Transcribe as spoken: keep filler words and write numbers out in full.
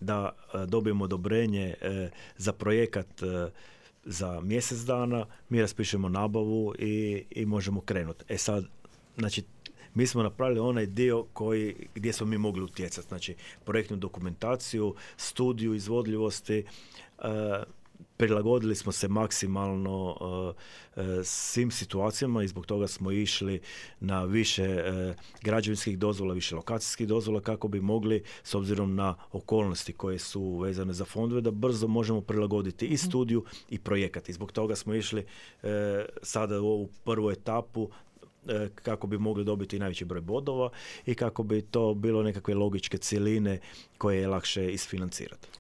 da dobijemo odobrenje za projekat za mjesec dana, mi raspišemo nabavu i, i možemo krenuti. E sad, znači, mi smo napravili onaj dio koji, gdje smo mi mogli utjecati, znači projektnu dokumentaciju, studiju izvodljivosti, prilagodili smo se maksimalno uh, uh, svim situacijama i zbog toga smo išli na više uh, građevinskih dozvola, više lokacijskih dozvola kako bi mogli, s obzirom na okolnosti koje su vezane za fondove, da brzo možemo prilagoditi i studiju i projekat. I zbog toga smo išli uh, sada u ovu prvu etapu kako bi mogli dobiti najveći broj bodova i kako bi to bilo nekakve logičke cjeline koje je lakše isfinancirati.